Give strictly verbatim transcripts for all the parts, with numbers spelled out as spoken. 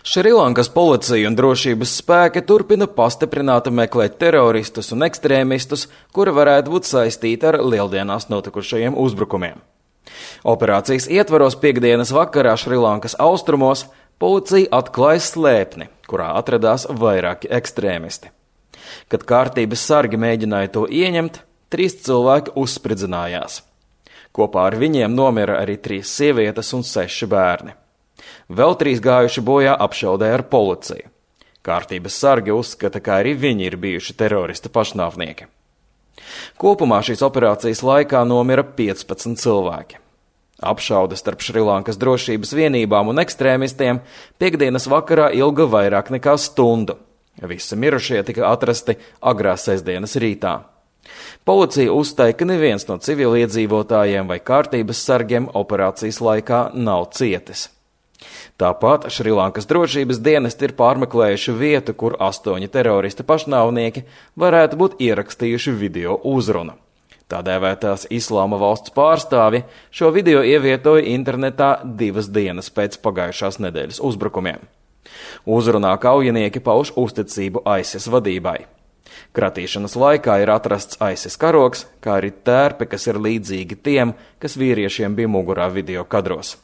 Šrilankas policija un drošības spēki turpina pastiprināti meklēt teroristus un ekstrēmistus, kuri varētu būt saistīti ar lieldienās notikušajiem uzbrukumiem. Operācijas ietvaros piekdienas vakarā Šrilankas austrumos policija atklāja slēpni, kurā atradās vairāki ekstrēmisti. Kad kārtības sargi mēģināja to ieņemt, trīs cilvēki uzspridzinājās. Kopā ar viņiem nomira arī trīs sievietes un seši bērni. Vēl trīs gājuši bojā apšaudē ar policiju. Kārtības sargi uzskata, ka arī viņi ir bijuši teroristi pašnāvnieki. Kopumā šīs operācijas laikā nomira piecpadsmit cilvēki. Apšaude starp Šrilankas drošības vienībām un ekstrēmistiem piekdienas vakarā ilga vairāk nekā stundu. Visi mirušie tika atrasti agrā sestdienas rītā. Policija uzstāja, ka neviens no civiliedzīvotājiem vai kārtības sargiem operācijas laikā nav cietis. Tāpat Šrilankas drošības dienesti ir pārmeklējuši vietu, kur astoņi teroristi pašnāvnieki varētu būt ierakstījuši video uzrunu. Tā dēvētās Islāma valsts pārstāvji šo video ievietoja internetā divas dienas pēc pagājušās nedēļas uzbrukumiem. Uzrunā kaujinieki pauž uzticību ISIS vadībai. Kratīšanas laikā ir atrasts ISIS karogs, kā arī tērpi, kas ir līdzīgi tiem, kas vīriešiem bija mugurā video kadros.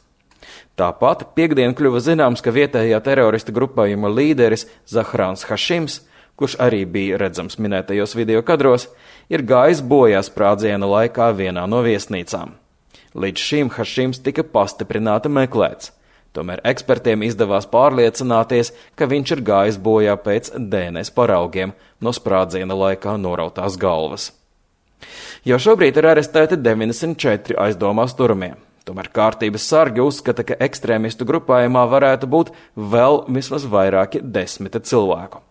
Tāpat piekdien kļuva zināms, ka vietējā terorista grupējuma līderis Zahrāns Hašims, kurš arī bija redzams minētajos video kadros, ir gājis bojā sprādziena laikā vienā no viesnīcām. Līdz šim Hašims tika pastiprināti meklēts. Tomēr ekspertiem izdevās pārliecināties, ka viņš ir gājis bojā pēc D N S paraugiem no sprādziena laikā norautās galvas. Jau šobrīd ir arestēti deviņdesmit četri aizdomās turamie. Tomēr kārtības sargi uzskata, ka ekstrēmistu grupējumā varētu būt vēl vismaz vairāki desmiti cilvēku.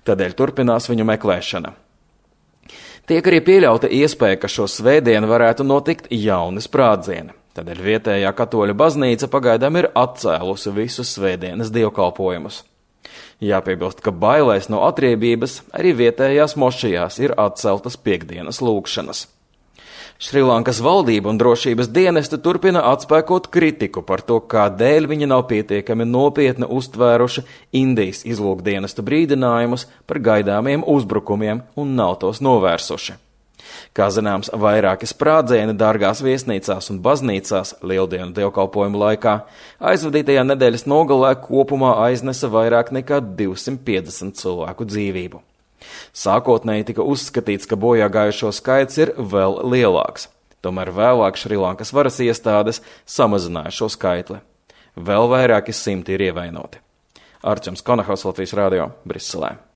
Tādēļ turpinās viņu meklēšana. Tiek arī pieļauta iespēja, ka šo svētdienu varētu notikt jauni sprādzieni. Tādēļ vietējā katoļu baznīca pagaidām ir atcēlusi visus svētdienas dievkalpojumus. Jāpiebilst, ka bailēs no atriebības arī vietējās mošajās ir atceltas piekdienas lūgšanas. Šrilankas valdība un drošības dienesti turpina atspēkot kritiku par to, kādēļ viņi nav pietiekami nopietni uztvēruši Indijas izlūkdienestu brīdinājumus par gaidāmiem uzbrukumiem un nav tos novērsuši. Kā zināms, vairāki sprādzieni dārgās viesnīcās un baznīcās lieldienu dievkalpojumu laikā aizvadītajā nedēļas nogalē kopumā aiznesa vairāk nekā divsimt piecdesmit cilvēku dzīvību. Sākotnēji tika uzskatīts, ka bojā gājušo skaits ir vēl lielāks. Tomēr vēlāk Šrilankas varas iestādes samazināja šo skaitli. Vēl vairāki simti ir ievainoti. Arčuns Konahaus, Latvijas radio, Briselē.